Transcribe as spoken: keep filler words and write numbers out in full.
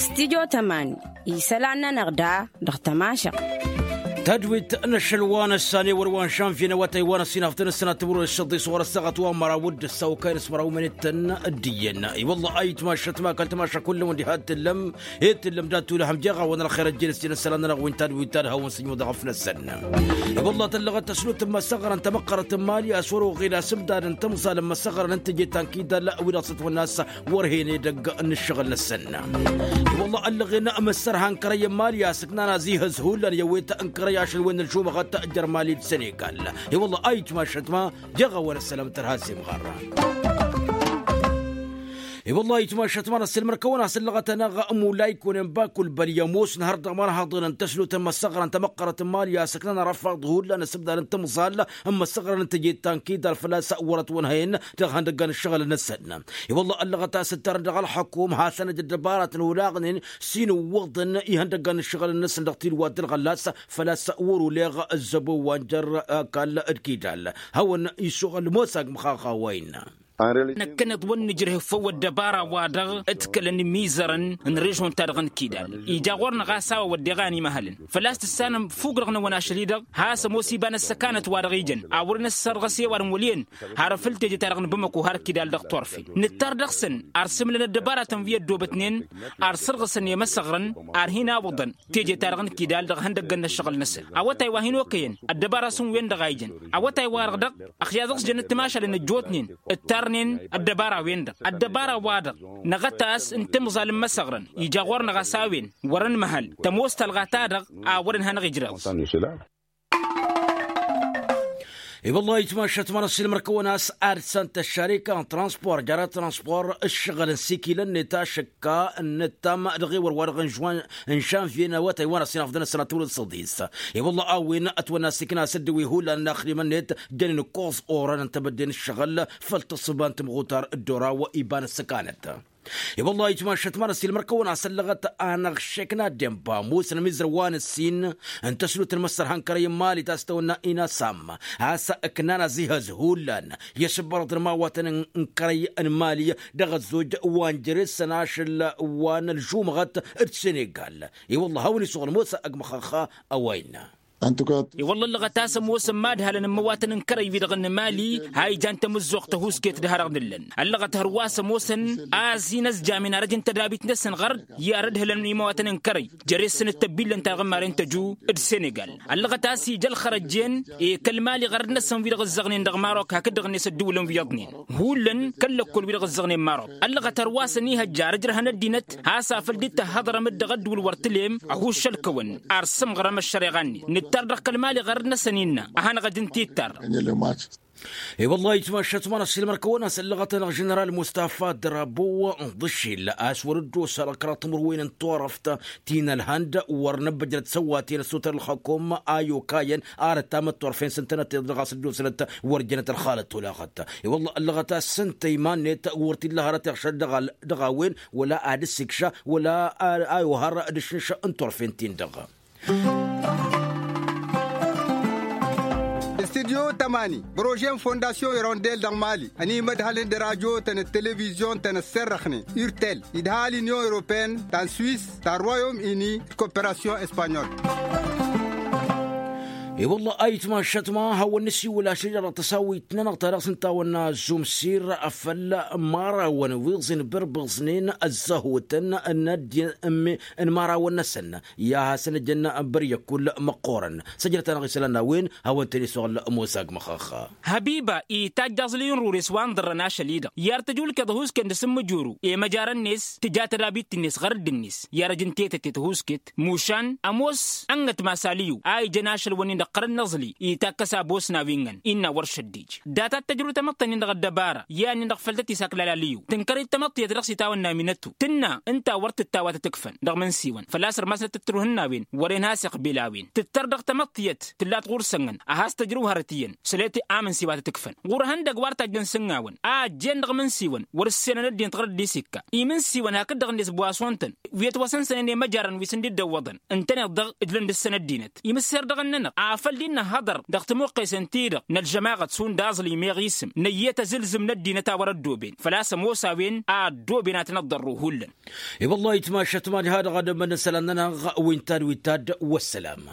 Stidyo tămani isălan-nănăɣ da dăɣ-tămašăɣt. Tadwit n-ašăl wa n-ăssan i-wăr wa n-žănvye n-awătay wa n-ăssinaften ăssanat timǝrwen s-săḍḍis ɣur-ăssaɣăt wa n-măraw d-ăssaw kăyăn s-măraw mănettăn. D-iyyăn i-wălla a itmašăt ma kăl-tamaša kullăn wăr diha t-tǝllăm. Ed tǝllăm dat-tu lăhăm jeɣ-awăn ălxer ăjjeen s-jăn ăssalan-nănăɣ wi n-tadwit ta d-hawăn-sǝnjǝwăḍ ɣăf-năsăn. I-wălla tăllăɣăt tăslut n-imăsăɣrăn tamăqqărăt n-imali a-s wăr-oɣil asǝbdad n-tamẓal n-imăsăɣrăn n-teje ta n-kidal wi-dăɣ s-ătwănna a-s wăr hen edăgg n-ǝššăɣǝl-năsăn. I-wălla ăllăɣen măssărha n-kărăy n-imali a-s ǝknan azihăz hullan i-ăwwet n-kărăy ašăl-wen n-ălžumăɣăt jer-imali d-senegal. I-wălla a itmašăt ma jeɣ-awăn ăssălam tărha s-imɣarra. I-wălla a itmašăt ma n-ăssiilmăr-kăwăn a-s ăllăɣăt-anăɣ mulay kunen bakulbăl i-ămoos n-hăr dăɣ-imanhaḍen n-tăslut n-imăsăɣrăn tamăqqărăt n-imali a-s ǝknan arăfaḍ hullan asǝbdad n-tamẓal n-imăsăɣrăn n-teje ta n-kidal făl-a-s wăr-ătwănhăyăn dăɣ-ihăndăgga n-ǝššăɣǝl-năsăn. I-wălla ăllăɣăt a-s ǝttarăn dăɣ-ălxăkum hasăn-ăj ăddăbaratăn olaɣnen s-inǝwwăḍăn ihăndăgga n-ǝššăɣǝl-năsăn dăɣ-tilwa d-ǝlɣăllas făl-a-s wăr-oleɣ ăzzăbo wa n-jer-ăkall d-kidal. Hawăn-isuɣǝl mosa agmăxaxa wa innă. Năkkăneḍ wăr nǝjrǝh făw ăddăbara-wa-dăɣ d-kălăn imizărăn n-režon-ta-dăɣ n-kidal ija ɣur-năɣ a-s a-wa wădden iɣan imăhălăn făl-a-s tǝssanăm fukk-dăɣ n-ăwăn ašăl-i-dăɣ. Has-ămoos iba n-ăssăkanăt wa dăɣ-ijăn a wăren ăssărɣăs i-ăwadǝm wăl' iyyăn har făll-teje-ta-dăɣ n-bamăko har kidal dăɣ-turfen nǝttar dăɣ-săn. Ar sǝmlăn ăddăbaratăn wi ăddoobătnen ar sărɣǝsăn i-imăsăɣrăn ar hin-awǝḍăn teje-ta-dăɣ n-kidal dăɣ-ihăndăggăn n-ăššăɣǝl-năsăn. Awătay wa hin-okăyăn ăddăbara-săn wen-dăɣ a ijăn awătay-wa-dăɣ dăɣ-ăxya dăɣ-s jănăt timašalen ăjjootnen ǝttarnen ăddăbara-wen-dăɣ ăddăbara-wa-dăɣ. Năɣăt-as n-timẓal n-imăsăɣrăn ija ɣur-năɣ a-s a-wen wăr-ănmăhăl tămoos talɣa-ta-dăɣ a wăren hanăɣ-ijrăẓ. I-wăllah itmašăt ma n-ăssiilmăr-kăwăn a-s ad-săn tăššarika n-transpor jara transpor ǝššăɣǝl n-sikilăn-net ašăkka n-ǝttam dăɣ-ewăr wa-dăɣ n-žanvye n-awătay wa n-ăsinafḍăn ăssanat timǝrwen s-săḍis. I-wăllah a-wen ătwănna s-ikna s-dd-wi hullan n-axdimăn-net jănen ǝkkoẓ orăn n-tebădde n-ǝššăɣǝl făll-tǝssǝba n-timɣutar dd-oraw iba n-ăssăkanăt. I-wăllah itmašăt ma n-ăssiilmăr-kăwăn a-s ăllăɣăt anăɣšekna denba ămoosăn amizăr wa n-ǝssin n-tăslut n-imăssărha n-kărăy n-mali ta s-tăwănna inasam a-s ǝknan azihăz hullan i-asǝbbărăḍ n-imawatăn n-kărăy n-mali dăɣ-ăzzoj wa n-jere-săn ašăl wa n-ălžumăɣăt d-senegal. I-wăllah a-wen isuɣǝl mosa ăgg măxăxxa a-wa innă. I-wălla ǝllăɣăt a-s ămoosăn imadhalăn n-imăwatăn n-kărăy-wi-dăɣ n-imali a ijan tamǝzzuɣt tăhusket d-ha-dăɣ nǝllăn ăllăɣăt hărwa s-ămoosăn a ăzinăzjamen arăj n-tădabit-năsăn ɣărd i-ad-ădhǝlăn imăwatăn n-kărăy jere-săn d-tăbbillăn-ta-dăɣ n-maren tăju d-senegal. Ăllăɣăt a-s ija ălxărăjjen i-kăl-mali ɣărăd-năsăn wi-dăɣ ǝzzăɣnen dăɣ-marok hakd-dăɣ-net ădduulăn wi iyyăḍnen hullan kăl-lăkkol wi-dăɣ ǝzzăɣnen marok. Ăllăɣăt hărwa s-ănihăjja ar ǝjrăhăn ăddinăt has-afăl dd-tăhhăḍărăm-dd dăɣ-ăddǝwǝl wăr tălem ăhuššăl-kăwăn ar sǝmɣărăm ăššăreɣa-net nǝttar dăɣ-kăl-mali ɣărăd-năsăn innă a hanăɣ-ăj ǝnta ittarrăm. I-wăllah itmašăt ma n-ăssiilmăr-kăwăn a-s ăllăɣăt-anăɣ ženeral mustafa drabu n-iḍǝššil a-s wăr-dd-osa dăɣ-kăraḍ timǝrwen n-turăft ti n-ălhănd wăr năbbăjrăt săwwaten ăssutăr ălxăkum a i-okayăn arăt tamătturfen s-ǝntănăt tiḍǝl ɣas dd-osnăt wăr jănăt ălxalăt tolaɣăt. I-wăllah ăllăɣăt a-s ǝnta iman-net wăr t-illa hărăt iɣšăl dăɣ-a-wen wăla ad-dd-sikša wăla a ohar d-ašǝnš n-turfen-tin-dăɣ. Studyo tămani prože n-fondasyon irondel dăɣ-mali ănimădhălăn d-radyo-tăn d-televizyon-tăn ăsserrăxnen urtel idha l-inyon europeyăn ta n-swis ta n-royom ini d-koperasyon espanyol. I-wălla a itmašăt ma hawăn-nǝsiwǝl ašăl-i-dăɣ dăɣ-tăsawit-nănăɣ ta dăɣ-s ǝnta a wănna zumsir afăl marawăn wi ẓin bărbăẓnen ăzzăhutăn n-ăddin n-marawăn-năsăn i-ad-hasăn-ăjăn băryăkul măqqoorăn. Săjdăt-anăɣ isălan n-a-wen hawăn-tăn-isuɣ ălmusa agmăxăxxa. Hăbiba itajj aẓli n-rures wa n-ḍărrăn ašăl-i-dăɣ i-ad-tăj ulkeḍ ăhuusken dăr-s n-mǝjuru i-măjarăn-net tǝja tădabit-net ɣărădd-net i-ad-ăj n-tetăte tăhuusket mušan ămoos ănnăt masaliyu a ijăn ašăl-wăn-in dăɣ-qărăn n-aẓli itakkăs abos n-a-wi ǝnnăn innă wăr šăddij. Data d-tăjrǝw tamăḍt-nin dăɣ-ăddăbara i-ad-nin dăɣ-făll-tăt-isak lal-aliyu tǝnkăr-dd tamăḍt tiyyăt dăɣ-s itawănna minătu tǝnna ǝnta wăr tǝttawatăt ǝkfăn dăɣ-imǝnsiwăn făl-a-s ărmasnăt ǝttǝruh n-a-wen wăren has-iqbil a-wen tǝttăr dăɣ-tamăḍt tiyyăt tǝllat ɣur-săn-năn ad-has-tăjrǝw hărăt iyyăn săl-e-t amǝnsiwatăt ǝkfăn ɣur-ihăndăgg wa ărtajjăn s-ǝnnawăn a ăjjeen dăɣ-imǝnsiwăn wăr-ǝssenăn ăddinăt ɣărădd isǝkka imǝnsiwăn hakd-dăɣ-net bwaswăn-tăn wi ătwăsănsănen i-măjarăn wi s-ǝndǝddăwwăḍăn ǝntăneḍ-dăɣ ǝjlăn dăr-săn ăddinăt imǝsser dăɣ-ănnănăɣ. făl dd-nǝhhăḍăr dăɣ-tămoqqesen-ti-dăɣ n-ălžămaɣăt šund aẓlǝy meɣ isǝm n-ăyyăt azǝlzǝm n-ăddinăt a wăr-ăddooben făl-a-s ămoos a-wen a ăddooben ad-tăn-ăḍḍărru hullan. I-wăllah itmašăt mani hadăɣ ad-ămmănăn isălan-nănăɣ wi n-tad wi n-tad. Wăssălam.